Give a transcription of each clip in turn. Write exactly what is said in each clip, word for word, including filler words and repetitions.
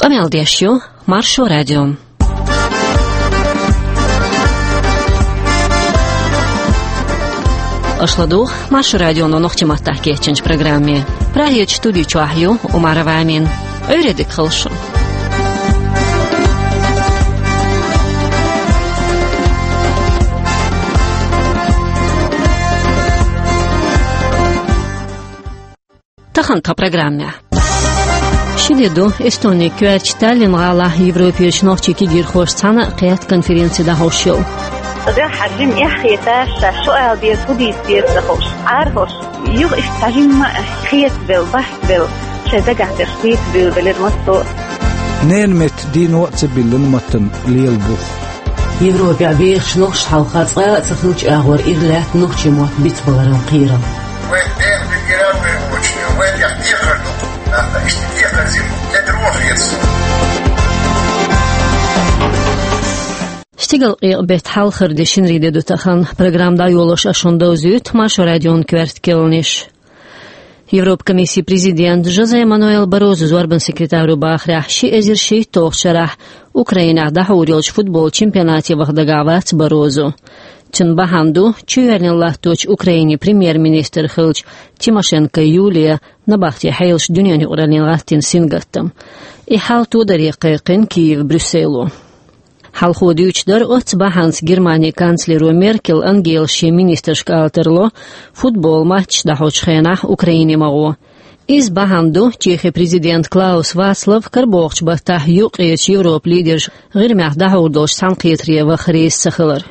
Къамел деш ю Маршо радио. Аша ладугӀу Маршо радионо нохчийн маттахь кечйинчу программе. Прагерчу студи чохь ю Умарова Амина. Ӏуьйре дика хуьлда шун. Тахана тхан программехь. Ши де ду Эстонин коьртачу Таллин гӀалахь Европерчу нохчийн кегийрхошца цхьаьна кхетта конференци дӀахьош йолу. Ткъа дуьххьара жимма эхь хеташ, ша шу ала деза, хӀун дийца деза ца хууш, Ӏара хӀорш, юха иштта цхьа жимма а хетабелла, бахкабелла, шайн дагахь дерш дийца буьйлабелира массо а. Ненан метта дийно а ца биллина маттана лела бух. Европехь бехаш нохчаша хьалха цкъа а ца хиллачу агӀор ира лаьтта нохчийн мотт бицбаларан кхерам. Вайн ден бигиран вайн вочу, вайн тӀехь декхар ду, нах, иштта декхар зима, де дрожь. Стигалкъекъа беттан хьалхара де, шинарин де ду тахана. Программа дӀайолош ас шуна довзуьйту Маршо радион коьрта керланаш. Европа комиссин президент Жозе Мануэл Баррозо зорбанан секретаро бахарехь, ши эзар шийтталгӀачу шарахь Украинехь дӀахьур йолчу футболан чемпионате ваха дагахь вац Баррозо. Цуьнан бахьана ду чоьхьарниг латточу Украинин премьер-министр хиллачу Тимошенко Юлиян набахтин хьелаш дуьненан юкъараллина гӀаттийна сингаттам. И хьал тодаре кхайкхина Киев Брюссело. Хьалхо дуьйцуш дара оццу бахьанца Германин канцлеро Меркель Ангелас шен министрашка ала тарло, футболан матчаш дӀахьочу хенахь Украине ма гӀо. Иза бахьана ду Чехин президент Клаус Вацлав карабогӀучу баттахь юккъерчу Европан лидерш ГӀирмехь дӀахьур долчу цхьаьнакхетаре ваха реза ца хилар.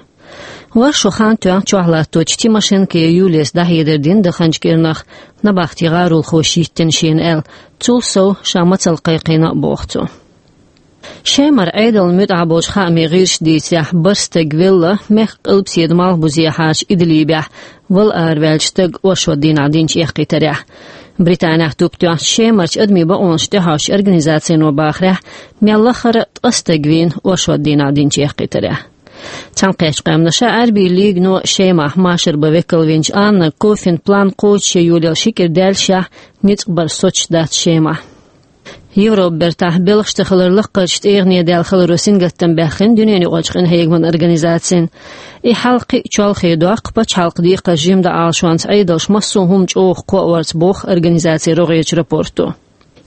Вай шо хан тоьхна чохь латточу Тимошенко Юлияс дӀахьедар дина даханчу кӀирнах набахтин гӀаролхоша йиттина шена аьлла, цул сов ша мацалла кхайкхийна а боху цо. Шемара Ӏедална муьтӀахь болчу хаамийн гӀирсаша дийцарехь, бархӀ стаг велла, мехкан къилбаседа малхбузе хьарча Идлибехь вала араваьллачу стага оршот дийнахь динчу эккхийтарехь. Британехь туп тоьхначу Шемарчу адамийн бакъонаш тӀехьоьжучу организацино бахарехь, мел лахара ткъа стаг вийна оршот дийнахь динчу эккхийтарехь. Цхьаьнакхеттачу къаьмнаша Ӏаьрбийн лигано Шемахь машар бан векал винчу Анна Кофина план кхочушъян йолаелла ши кӀира даьллашехь, ницкъ бар соцуш дац Шемахь. Европан бертахь белхаш ца хилар лаккхарчу тӀегӀане даьлла хиларо сингаттам баьккхина дуьненан юкъарчу къинхьегаман организацина. И хьал кхин а чолхе доккху пачхьалкхан декхарш жимма дан Ӏалашонца Ӏедалша массо а хӀума чӀогӀа кхоаварца, боху организацин рогӀерчу рапорто.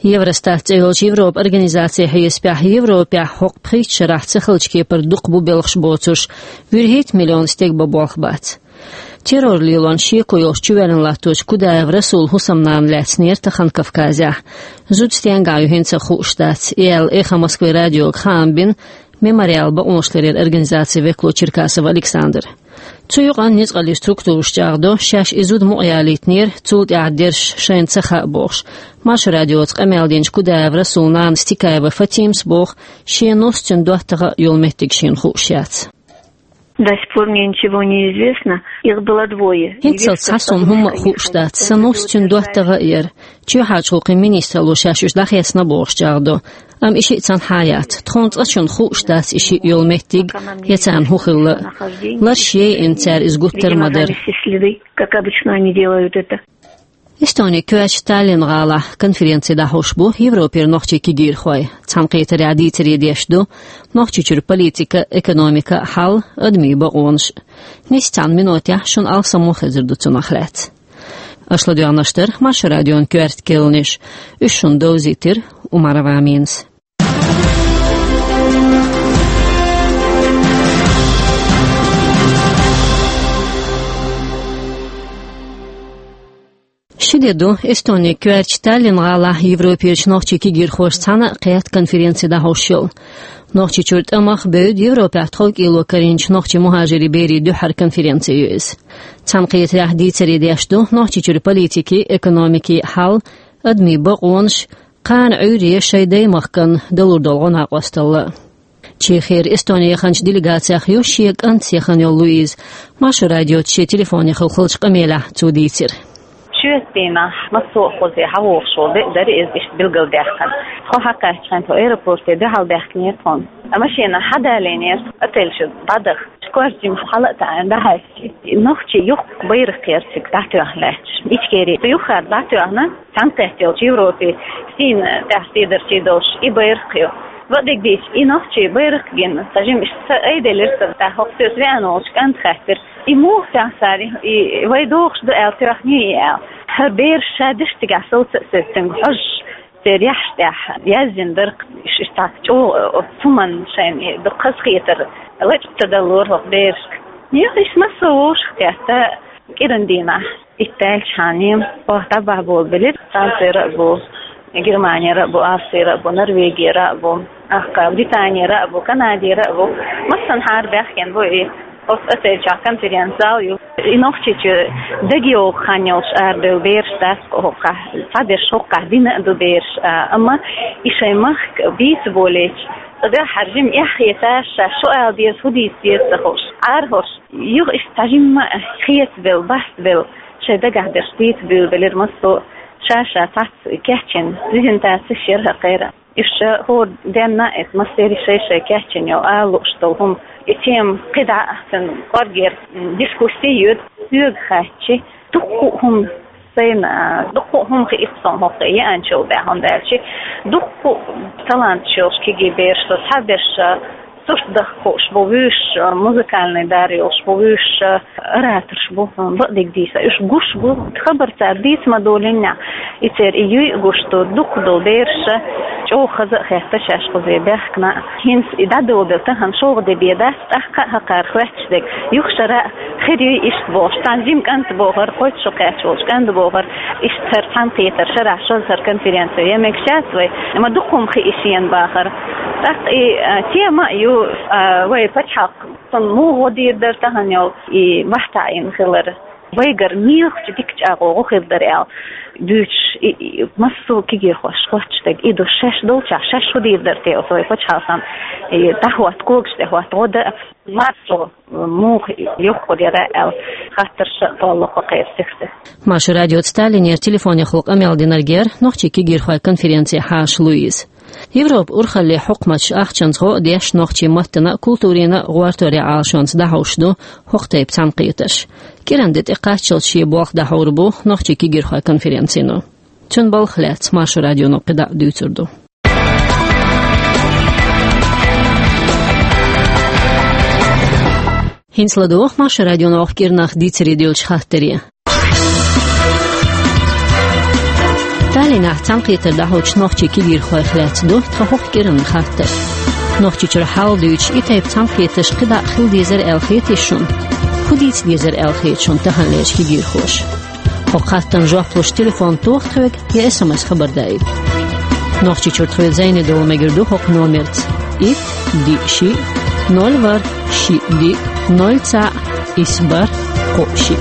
Евростат цӀе йолчу Европан организацин хьесапехь, Европехь хӀокху пхийтта шарахь ца хиллачу кепара дукха бу белхаш боцурш, вуьрхӀитта миллион стеган бан болх бац. Террор лелорна шеко йолуш чувоьллина латточу Кудаев Расулан хӀусамнана лаьцнера тахана Кавказехь. Зуда стенгахь ю хӀинца а хууш дац, аьлла Эхо Москвы радиога хаам бина Мемориал бакъонашларъяран организацин векало Черкасов Александра. Цу юкъанна ницкъаллин структураш чӀагӀдо, шаьш и зуда мукъаялийтинера, цул тӀаьхьа дерш шайна ца хаьа бохуш. Маршо радиоца къамел динчу Кудаев Расулан нанас Тикаева Фатимас боху, шен нус цуьнан доттагӀа а йолу меттиг шена хууш яц. До сих пор мне ничего не известно. Их было двое. ХӀинццалц цхьа суна хӀумма а хууш дац, сан нус цуьнан доттагӀа а яра. Чоьхьарчу гӀуллакхийн министралло шаьш уьш дӀахецна бохуш чӀагӀдо. Амма и шиъ цхьанхьа а яц. Тхуна цкъачунна хууш дац и шиъ йолу меттиг, я царна хӀун хилла. Ларш яйина цара иза гуттар а ма дара. Как обычно они делают это. Эстонин коьртачу Таллин гӀалахь конференци дӀахьош бу Европера нохчийн кегийрхой. Цхьаьнакхетарехь дийцаре деш ду Нохчийчуьра политика, экономика, хьал, адамийн бакъонаш. Нисса цхьана минотехь шуна алсам ма хезар ду цунах лаьцна. Аша ладоьгӀнарш дара Маршо радион коьрта керланаш. Уьш шуна довзийтира Умарова Аминас. Ши де ду Эстонин коьртачу Таллин гӀалахь Европерчу нохчийн кегийрхошца цхьаьна кхетта конференци дӀахьош йолу. Нохчийчуьра тӀамах бевдда Европехь тховкӀело карийначу нохчийн мухӀажирийн берийн дуьххьара конференци ю иза. Цхьаьнакхетарехь дийцаре деш ду Нохчийчуьра политикин, экономикин хьал, адамийн бакъонаш, кхана Ӏуьйре шайн даймахкана далур долу гӀо-накъосталла. Чехера Эстоне яханчу делегацех ю шен кӀантаца яхана йолу Луиза. Маршо радиоца шен телефонехула хиллачу къамелехь цо дийцира. Шоьтан дийнахь массо а хӀума хьахьош волу де а дара иза, иштта билгалдаьккхина. Тхо хьакхаьччахьана тхо аэропорте дуьхьал даьхкинера тхуна. Ткъа машенахь хьадалийнера, отель чу дӀадаха. Кхоачам хьала а таӀийна дӀахьаьстча, нохчий юха байракх ярциг дӀатоьхна лаьтташ. Ичкери юххара дӀатоьхна, цхьаьнакхетта йолча Европе сийна тӀехь сийдарчий долуш и байракх ю. Бакъдерг дийцича, и нохчий байракх гина, цхьа жимма иштта са айделира сан, тӀаккха хӀокху соьца веана волчу кӀанта хаьттира: «И муха тӀехь сари, и вай дохуш ду аьлла тоьхний и?» аьлла. ХӀара бераш ша деш цигахь совца а соьцуш, цуьнга хьожуш, церан яххьаш тӀехь яздина дара, ш-, ш-, цхьа чӀогӀа, э, цу хӀуманна шайна и дукха хазахетар лачкъа ца даллора хӀокху берашка. Юха иштта массо а вовшахкхетта, кӀиран дийнахь итт даьлчхьана, оха дӀабахьа болабелира, Францера а бу, Германера а бу, Австрера а бу, Норвегера а бу, ахка Британера а бу, Канадера а бу. Массанхьара баьхкина бу и. Оцу отель чохь конференц-зал ю. И Нохчийчу дагайогӀу хан йолуш арадевлла бераш дац хӀокхахь, цхьаберш хӀокхахь дина а ду бераш, а, амма и шайн махка бийца болийча, цкъа дуьххьара жимма эхь хеташ, ша шу ала деза, хӀун дийца деза ца хууш, Ӏара хӀорш. Юха иштта цхьа жимма хетабелла, бастабелла, шайн дагахь дерш дийца буьйлабелира массо а, ша-ша цхьацца кечйина презентацеш яра хӀокхеран. Уьш хӀора денна а, иза массеран шай-шай кечйина йолу, ала лууш долу хӀума, и тема кхидӀа а цуьнан кӀоргера, м, дискусси йоьду, соьга хаьттича, дуккха а хӀума сайна, а, дуккха а хӀума хиира суна хӀокху тӀе еанчул баьхна, хӀунда аьлча дуккха а таланташ йолуш кегий бераш ду, цхьаберш, а, сурт даха хууш бу, вуьйш, а, музыкальный дар йолуш бу, вуьйш, а, ораторш бу, бакъдерг дийца, уьш гуш бу, хабар цара дийца ма долийна, и церан и юй а гуш ду, дукха долу бераш а чӀогӀа хаза а хетта шаьш кхуза баьхкина. ХӀинца и дӀадолабелла тахана шолгӀа де бен дац, тӀаккха а хӀокхара хоьттуш дерг, юха шарахь хир юй иштта бохуш, цхьана жима кӀанта бохура, кхоччуш кхаьчна волчу кӀанта бохура, иштта хӀара цхьаьнакхетар шарахь шозза хӀара конференци ян мегаш яц вай, ма дукха хӀума хии шена бахара. ТӀаккха и, а, тема а ю, а, вай пачхьалкх цунна муха гӀо дийр дара тахана йолу и бахьа таӀийна хилар. Вайгара мелхачу дика чӀагӀо гӀо хир дара аьлла дуьйцуш, и, и, массо а кегийрхоша хоьттуш дерг и ду, шаьш долчохь шаьш хӀун дийр дара те оцу вай пачхьалкхана, и дӀахӀотта, когаш тӀе хӀотта гӀо дан, маршо муха юхкур яра аьлла, хаттарш а толлу кху кхеран сихха. Маршо радиоца Таллинера телефонехула къамел динарг яра нохчийн кегийрхойн конференцин хьаша Луиза. Европан урхаллин хьукматаш ахчанца гӀо а деш, нохчийн маттана а, культурина а гӀортаран Ӏалашонца дӀахьуш ду хӀокху тайпа цхьаьнакхетарш. КӀиран де тӀекхаччалц шен болх дӀахьур бу нохчийн кегийрхойн конференцино. Цуьнан балхах лаьцна Маршо радионо кхидӀа а дуьйцур ду. ХӀинца ладогӀа Маршо радионо кху кӀирнах дийцаре девллачу хаттаре. Таллинехь цхьаьнакхетар дӀахьочу нохчийн кегийрхойх лаьцна ду тхан хӀокху кӀиранан хаттар. Нохчийчуьра хьал дуьйцуш, и тайпа цхьаьнакхетарш кхидӀа а хила дезара аьлла хетий шуна? ХӀун дийца дезара аьлла хета шуна таханлерчу кегийрхоша? ХӀокху хаттарна жоп луш телефон тоха тхоьга я эс эм эс хабар даийта. Нохчийчуьра тхоьца зӀене довла мегар ду хӀокху номерца: итт, диъ, шиъ, ноль, ворхӀ, шиъ, диъ, ноль, цхьаъ, исс, бархӀ, кхоъ, шиъ.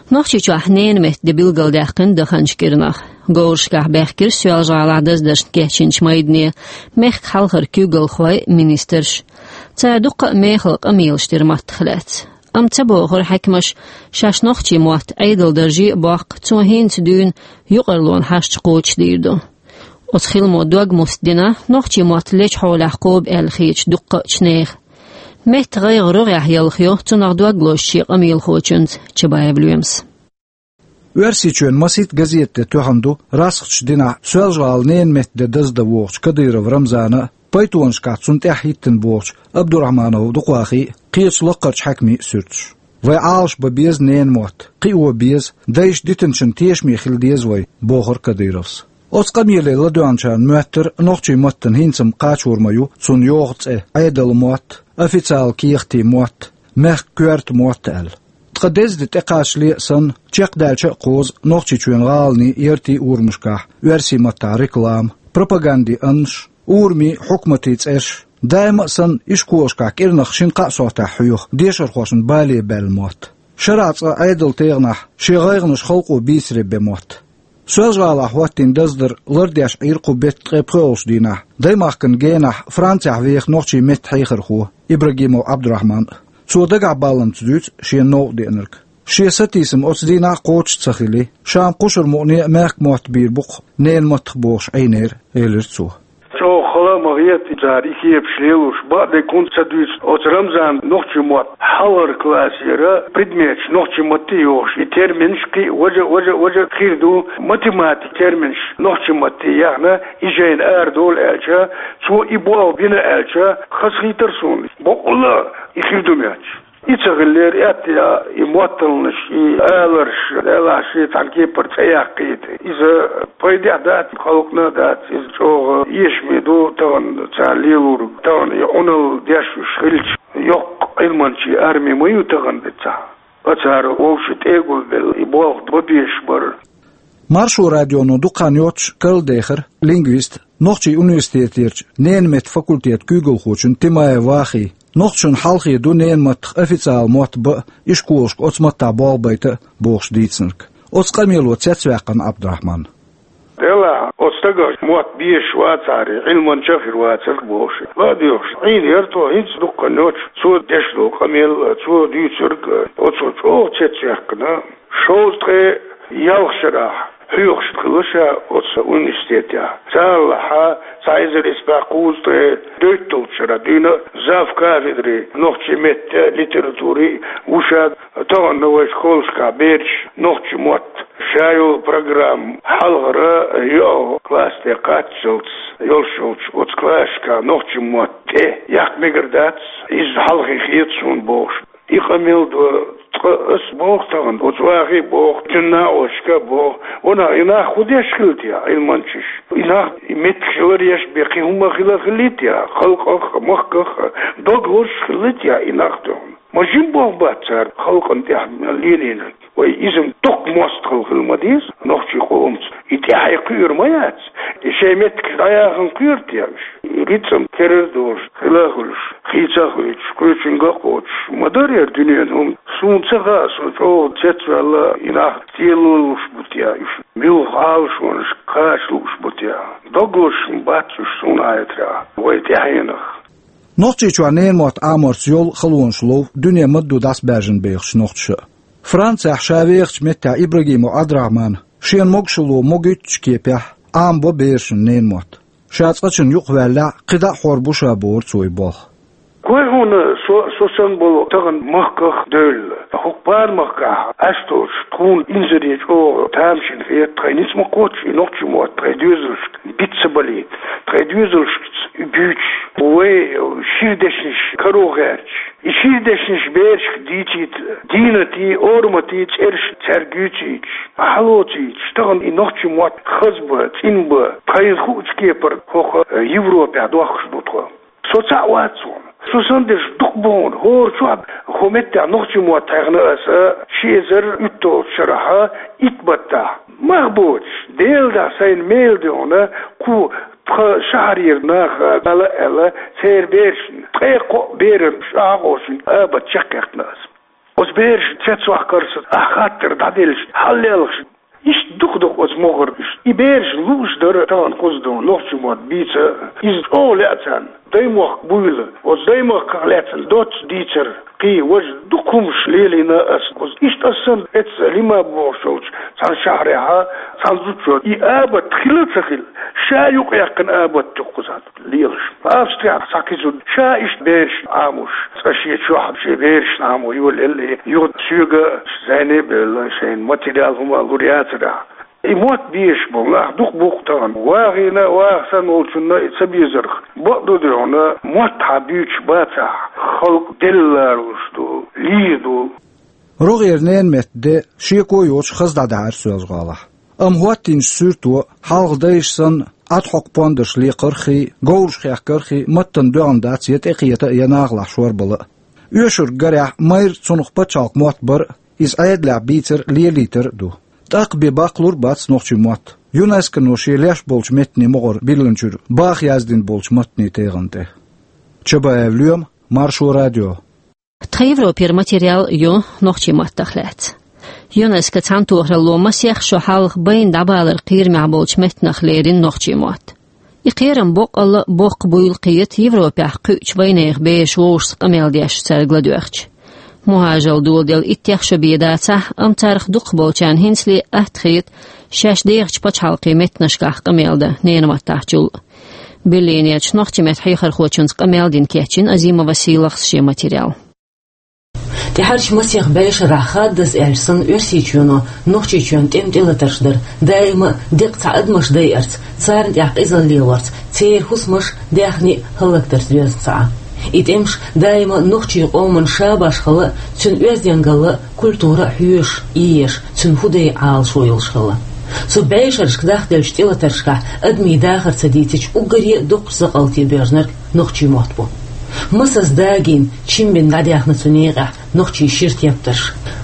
Нохчийчохь ненан меттан де билгалдаьккхина даханчу кӀирнах. Говрашкахь баьхкира Соьлжа-ГӀалахь даздаршна кечйинчу майдане мехкан хьалхара куьйгалхой а, министраш а. Цара дуккха а мехала къамелаш дира маттах лаьцна. Амма ца бохура хьаькамаша, шаьш нохчийн мотт Ӏедалан дарже а боккху, цо хӀинца дуьйна юкъараллин хьашташ кхочушдийр ду. Оцу хиламо дог муста дина нохчийн мотт лечу хьолехь кхобу аьлла хетачу дуккхачу нехан. Меттан гӀайгӀа рогӀехь ялхайо, цунах дог лозучу къамелхочуьнца Чабаев Лоьмас. Оьрсийчоьнан масийтта газетан де тоьхна ду расхачу динахь Соьлжа-ГӀалахь ненан меттан де даздан вогӀучу Кадыров Рамзана а, пайтонашкахь цунна тӀаьхьа хӀиттина богӀучу Абдурахманов Дукъахий а, кхечу лакхарчу хьаькамийн а суьрташ. Вай Ӏалашбан беза ненан мотт, кхио беза, дайша дитинчун тешаме хила деза вай, бохура Кадыровс. Оцу къамеле ладоьгӀначарна моьттура нохчийн маттана хӀинца-м кхачор ма ю цунна йогӀу цӀе Ӏедалан мотт, официалан кехатийн мотт, мехкан коьрта мотт аьлла. Тхан деза де тӀекхачале а санна, чекхдаьлча а кхозу Нохчийчоьнан гӀаланийн, яртийн урамашкахь оьрсийн маттахь реклама, пропагандин аннаш, урамийн, хьукматийн цӀерш. Даима а санна, ишколашкахь кӀирнах шина-кхаа сохьтехь хьоьху дешархошна бале баьлла мотт. Шарахь цкъа Ӏедалан тегӀанахь шен гӀайгӀанаш халкъо бийцаре бен мотт. Соьлжа-ГӀалахь хӀоттийна даздар лардеш Ӏийра кху беттан ткъе пхоьалгӀачу дийнахь даймахкан генахь Францехь веха нохчийн меттан хьехархо Ибрагимов Ӏабдурахьман а. Цо дагахь балланца дуьйцу шена новкъа деанарг. Шен сатийсам оцу дийнахь а кхочуш ца хили, ша-м кхушара мукъане а мехкан мотт бийр бу-кх ненан маттах бохуш Ӏийнера, элира цо. ЧӀогӀа хала а ма хи Эта цара и кепаш лелош, бакъдерг хӀунда ца дуьйцу, оцу Рамзана нохчийн мотт хьалхара классера предметаш нохчийн матте йохуш, и терминаш кхин а важа, важа, важа хир ду, математика терминаш нохчийн матте яхна, и жайна арадолу аьлча, цо и болх бина аьлча, хазахийтар суна. Бакъволуш, и хир ду моьттуш. И ца хиллера, аьтто яа, и мотталгӀанаш, и аларш, Делахь, шен цхьана кепара цӀе яккхийта. Иза пайдехь дац, халкъана а дац, иза чӀогӀа эшаме ду тахана цара лелориг. Тахана и Ӏуналла деш уьш хилча, йоккха Ӏилманчийн арми ма ю тахана дицахь. Ткъа цара вовшийн тӀе а гулбелла, и болх бан безаш бара. Маршо радионо дукха хан йоццуш карладехира лингвист, нохчийн университетерчу ненан меттан факультетан куьйгалхочун Тимаев Вахин. Нохчашна хьалхе ду ненан маттах официала мотт бан а, ишколашка оцу маттахь болх байта а бохуш дийцинарг. Оцу къамело цецваьккхина Ӏабдурахьман. Делахь, оцу стага мотт безаш вацахьара, Ӏилманча а хир вацара бохуш. ЛадоьгӀуш, Ӏийна яра тхо, хӀинца дукха хан йоццуш цо деш долу къамел, цо дуьйцург, оцо чӀогӀа цецваьккхина. Шовзткъе ялх шарахь хьоьхуш хилла ша оцу университетехь. Царалахь цхьа эзар исс бӀе кхузткъе дейтталгӀачу шарахь дуьйна завкафедри нохчийн меттан а, литературин а ву ша. Тахана вайн школашкахь бераш нохчийн мотт, ша йолу программа хьалхара йоьалгӀа класс тӀе кхаччалц йолуш йолчу оцу классашкахь нохчийн мотт тӀе яккха мегар дац, иза хьалхе хета суна бохуш. И къамел до, ткъа ас боху тахана, оцу Вахи боху, цуьнан накъосташка а боху. Ванах, и нах хӀун деш хилла те, Ӏилманчаш? И нах и меттигаш ларъеш бен кхин хӀума хила хиллий те, халкъах а, махках а, дог лозуш хиллий те и нах тахана? Ма жима болх бац цара халкъана тӀехь лелийнарг. Вай иза дукха мостагӀалла хила ма деза нохчийн къомаца. И тӀаьхье кхуьур ма яц. И шайн меттигаш дӀаяхана кхуьур те уьш? И рицкъан керара долуш, хила а хуьлуш, хийца а хуьйцуш, кхечуьнга а кхочуш, ма дара хӀара дуьненан хӀума. Суна ца хаьа, со чӀогӀа цецваьлла, и нах тӀе лулуш бу те уьш, муьлха Ӏалашонашка кхача лууш бу те. Дог лозуш ма бац уьш суна хетарехь, вай тӀаьхьенах. Нохчийчохь ненан мотт Ӏаморца йолу халонаш лов дуьне ма-дду дӀасабаьржина бехачу нохчаша а. Францехь ша вехачу меттехь Ибрагимов Ӏабдурахьмана шена могушалла могуьйтучу кепехь Ӏамабо берашна ненан мотт. Ша цкъачунна юкъаваьллехь, кхидӀа а хьор бу ша, бохура цо и болх. Гой хьуна, со, со санна болу тахана махках а девлла, хӀокху пара махкахь Ӏаш долчу тхуна инзаре чӀогӀа тамашийна хета, тхайн ницкъ ма кхоччу и нохчийн мотт тхайн доьзалшка биц ца балийта, тхайн доьзалшкаца буьйцуш, вай шира дешнаш каро гӀерташ. И шира дешнаш берашка дийцийта дийнатий, ораматий цӀераш цаьрга юьйцуьйтуш, хьалоцуьйтуш, тахана и нохчийн мотт хаза бан, цӀена бан, тхайна хуучу кепара хӀокху Европехь дохкуш ду тхо. Со цхьаъ вац хьуна. Со санна дерш дукха бу хьуна. ХӀора чохь хӀокху меттехь нохчийн мотт хьехна аса ши эзар уьтталгӀачу шарахь итт баттахь. Мах боцуш, Делан дуьхьа сайна мела дуьхьал кху тхан шахьарера наха ала а аьлла, церан берашна, ткъе кхоъ беран шахьа а къовсина, абат чекхъяьккхина аса. Оцу берашна цецваккхарца ахь хаттар дӀаделлаш, хьаллелхаш. Иштта дукха-дукха оцу могӀара уьш. И бераш лууш дара тахана кхуза ду, нохчийн мотт бийца, иза чӀогӀа лаьа царна. Даймохк буйла. Оцу даймохках лаьцна доцца дийцар, кхин важа дукха хӀумаш лелийна аса кхуза. Иштта аса санна, эцца Лима бохуш йолчу цхьана шахьарехь цхьана зудчо и абат хилла а ца хилла, ша юкъаяьккхина абат ю кхузахь лелаш. Австрехь цхьа кхин зуда ша иштта берашна Ӏамош, цкъа шен чохь шен берашна Ӏамо йолаелла, юха соьга а, зӀене а бевлла, шайна материал хӀума а лур яцара. И мотт безаш болу нах дукха бу-кх тахана. Вахина а, Ваха санна волчунна а и ца безарх. Бакъду дуьхьал, мотт хьан буьйцуш бацахь, халкъ делла лоруш ду, лийр ду. РогӀера ненан меттан де шеко йоцуш хаза дӀадаьхьира Соьлжа-ГӀалахь. Амма хӀоттийначу суьрто, хьалха дайша санна, Ӏад-хьокху пондарш лекхарх а, говраш хехкарх а маттана доьгӀна дац я тӀекхета а, я нахалахь шорбала а. Оьшург гарехь, майра цунах пачхьалкхан мотт бар а, иза Ӏедалехь бийцар а, лелийтар а ду. ТӀаккха бен баккхалур а бац нохчийн мотт, ЮНЕСКО-но шен леш болчу меттанийн могӀара биллинчуьра баха яздина болчу маттанийн тегӀан тӀе. Чабаев Лоьма, Маршо радио. Тхан Европера материал ю нохчийн маттах лаьцна. ЮНЕСКО цхьаьнатохаралло масех шо хьалха байна дӀабаларан кхерамехь болчу меттанах лерина нохчийн мотт. И кхерам боккъалла а боккха буйла кхета Европехь кхуьучу вайнехан бераш вовшашца къамел деш цаьрга ладоьгӀча. МухӀажаралла доладелла иттех шо бен дацахь а, амма царах дукхахболчарна хӀинцале атта хета шаьш дехачу пачхьалкхийн меттанашкахь къамел дан ненан маттахьчул а. Берлинерчу нохчийн меттан хьехархочунца къамел дина кечйина Азимова Сийлахьас шен материал. ТӀаьхьарчу масех бӀешарахь хаддаза аьлча санна Оьрсийчоьно Нохчийчоьнан тӀеман тӀелатарш дар, даима а деккъа цхьа адамаш дайарца, царна тӀехь къизалла лелорца, церан хӀусамаш, даьхни а хӀаллакдарца доьзна ца Ӏа. И тӀемаш даима а нохчийн къоман шабаш хилла а, цуьнан оьздангалла а, культура а хьоьжуш, ийеш, цуьнан хӀу дай Ӏалашо йолуш хилла. Цу бӀешарашка дахделлачу тӀелатаршкахь адамийн дахар ца дийцича, уггаре а доккхачу закъалтан боьрзунарг нохчийн мотт бу. Масаза дагийна, чимбина дӀадаьхна цу некъехь нохчийн шира тептарш,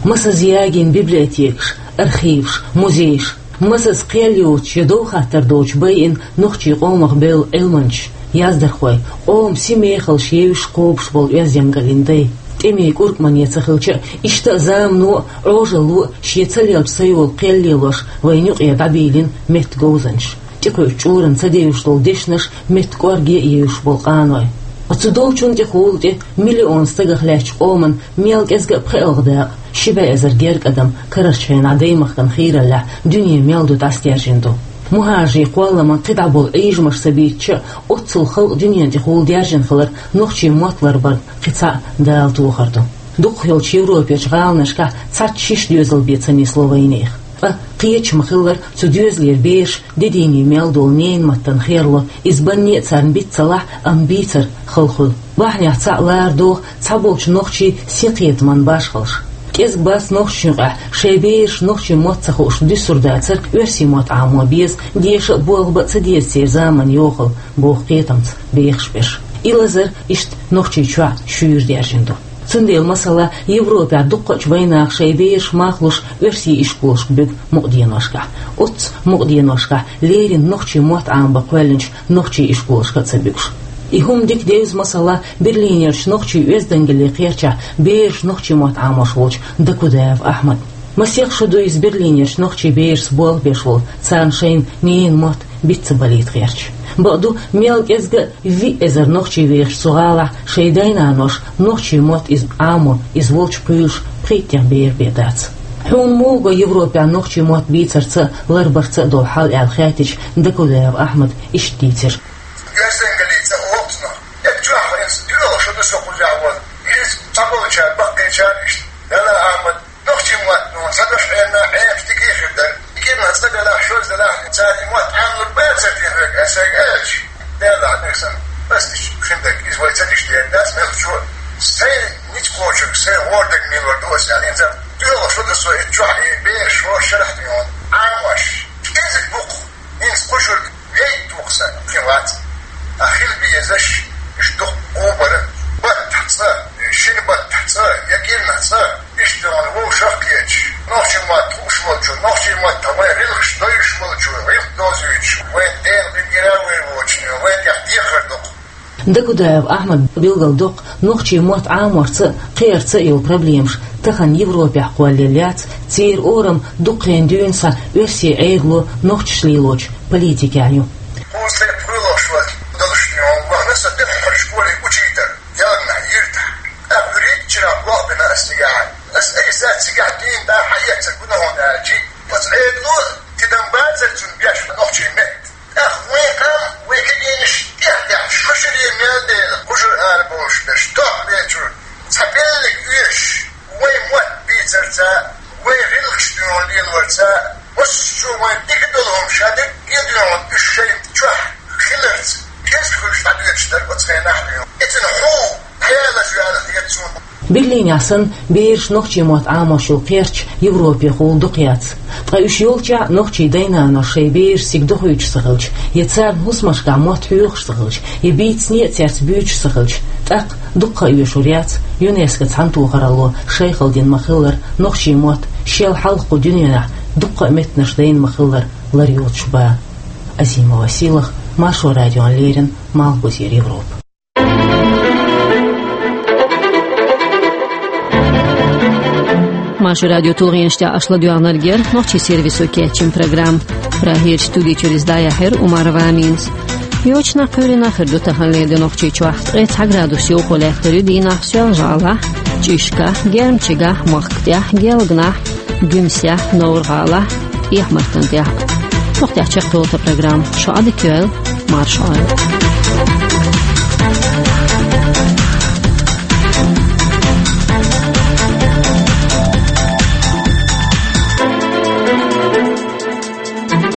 масаза ягийна библиотекаш, архиваш, музейш, масаза кхел йоцуш я дов хаттар доцуш байина нохчийн къомах бевлла Ӏилманчаш, яздархой, къоман сий-мехаллаш евзаш, кхобуш болу оьздангаллин дай. ТӀемийн кӀуркӀмане ца хилча а, иштта а замано а, Ӏожалло а шен ца лелча ца йолу кхел лелош, вайна юкъе дӀабийлина меттан говзанчаш, тӀекхуьучу чкъурана ца девзаш долу дешнаш меттан кӀорге а евзаш болу къаной. Ткъа цу долчунна тӀехула тӀе миллион стагах лаьттачу къоман мел кӀезга а пхоьалгӀа дакъа, ши бӀе эзар гергга адам карарчу хенахь даймахкана хийраллехь дуьне мел ду дӀасадаьржина ду. МухӀажарийн кхолламан кхидӀа болу Ӏийжамаш ца бийцича а, оццул халкъ дуьненан тӀехула даьржина хилар нохчийн мотт ларбарна кхин цхьаъ Дала тохар ду. Дукхахйолчу Европерчу гӀаланашкахь цхьацца шишша доьзал бен ца нисло вайнехан. Ткъа кхеча ма-хиллара, цу доьзалера бераш де дийне мел долу ненан маттана херло, иза банне а царна биц ца лахь, амма бийцар хала хуьлу. Бахьанех цхьаъ лара догӀу цхьаболчу нохчийн синкхетаман башхаллаш. КӀезиг бац нохчашна юкъахь шайн бераш нохчийн мотт ца хууш дуьсур дацар, оьрсийн мотт Ӏамо беза, деша а, болх бан а ца деза церан заманан йохалла, боху кхетамца бехаш берш. И лазар иштта Нохчийчохь шуьйра даьржина ду. Цундела, масала, Европехь дуккхачу вайнаха шайн бераш мах луш оьрсийн ишколашка буьгу мукъаденошкахь. Оццу мукъаденошкахь леррина нохчийн мотт Ӏамабан кхоьллинчу нохчийн ишколашка а ца буьгуш. И хӀума дика девза, масала, Берлинерчу нохчийн оьздангаллин кхерчахь бераш нохчийн мотт Ӏамош волчу Дакудаев Ахьмада. Масех шо ду иза Берлинерчу нохчийн берашца болх беш волу, царна шайна ненан мотт биц ца балийта гӀерташ. Бакъду, мел кӀезга а виъ эзар нохчи вехаш цу гӀалахь шайн дай-наноша нохчийн мотт иза Ӏамо, иза волчу кхуьйлуш пхийттех бер бен дац. Хьуна муха го Европехь нохчийн мотт бийцарца а, ларбарца а долу хьал аьлла хаьттича, Дакудаев Ахьмада иштта дийцира. Оьздангаллица а воккхуш нах. Эццахь хьо иза дуьйна шо ду со кхузахь волу. Иза цхьаболчара, баккхийчара иштта. Дала Ахьмад, нохчийн мотт, ну, ца даш хьенна, хьенаш дика хир дара. Дика хир ма ца делахь, шозза делахь, цара и мотт Ӏамлур бацара те хьоьга, аса аьлча. Делахь, дехсан, ас диш хин дерг, иза вай ца диш дер дац, мелхо. Сайн ницкъ кхочург, сайн гӀордерг мелор ду аса аьлла, хӀинца дуьйна шо ду со, и чохь, и бераш, шо шарахь дуьйна. Ӏамош, кӀезиг бу-кх, хӀинца кхушург вейт туху сан, кхин вац. А хила безаш, иштта дукха къобар, баттахь цкъа, шина баттахь цкъа, я кӀирнахь цкъа, иштта вовшах кхеташ, нохчийн мотт хууш волчо, нохчийн маттахь вайн гӀиллакхаш дойуш волчо, гӀиллакх дозуьйтуш, вайн Делан гӀиллакхера вай воцучо, вайн тӀехь дехар ду-кх. Дакудаев Ахьмада билгалдоккху, нохчийн мотт Ӏаморца а, кхерца а йолу проблемаш тахана Европехь кхоллаелла яц, церан орам дуккха а дуьйна схьа оьрсийн Ӏедало нохчаш лелочу политикехь ю. Кхузткъе пхоьалгӀа шо долуш ю, вахана со тӀеххьара школе учитель, ялханахь йиртахь. ТӀаккха хӀуьрийчарахь болх бина ас цигахь. Ас айса цигахь дийна дӀа хьаэцар гуна хьуна аьлчи, оцу Ӏедало тидам бацара цунна беш нохчийн меттан. ТӀаккха вайн къам, вай кегийнаш тӀехь-тӀехь шо шаре мел дела, кхушара ара болуш берш, тохбечуьра, цхьа беллиг оьшуш, вайн мотт бийцарца, вайн гӀиллакхаш дуьйна лелорца, массо а вайн дика долу хӀума ша дерриге а дуьйна уьш шайн чохь хиларца, кӀезиг хуьлуш дӀадоьдуш дара оцу хенахь дуьйна. Эцна хьо, хьелаш ваьлла хета суна. Берлинехь санна, бераш нохчийн мотт Ӏамош йолу кхерч Европехула дукха яц. Ткъа уьш йолчохь нохчийн дай-наноша шайн бераш цига дохуьйтуш ца хилча, я царна хӀусамашкахь мотт хьоьхуш ца хилча, я бийцане а цаьрца буьйцуш ца хилча, тӀаккха дуккха а оьшур яц ЮНЕСКО цхьана тохаралло шайхалла дина ма-хиллара нохчийн мотт шел хьалха кху дуьненахь дуккха а меттанаш дайна ма-хиллара лар йоцуш бан. Азимова Сийлахь, Маршо радиона леррина, Малхбузера Европа. Маршо радион тулгӀенаш тӀехь аша ладоьгӀнарг яра нохчийн сервисо кечйина программа. Прагерчу студи чуьра иза дӀаяьхьира Умарова Аминас. Йочана кхоьлина хир ду таханлера ди Нохчийчохь. Ткъе цхьа градус йовхо лаьттар ю дийнахь Соьлжа-ГӀалахь, ЧӀишкахь, Гермчигахь, махка тӀехь, Гелганахь, Гуьмсехь, Новр-ГӀалахь, Эхь-Мартан тӀехь. Мохк тӀехь чекхйолу тхан программа. Шун Ӏадика йойла, марша Ӏойла.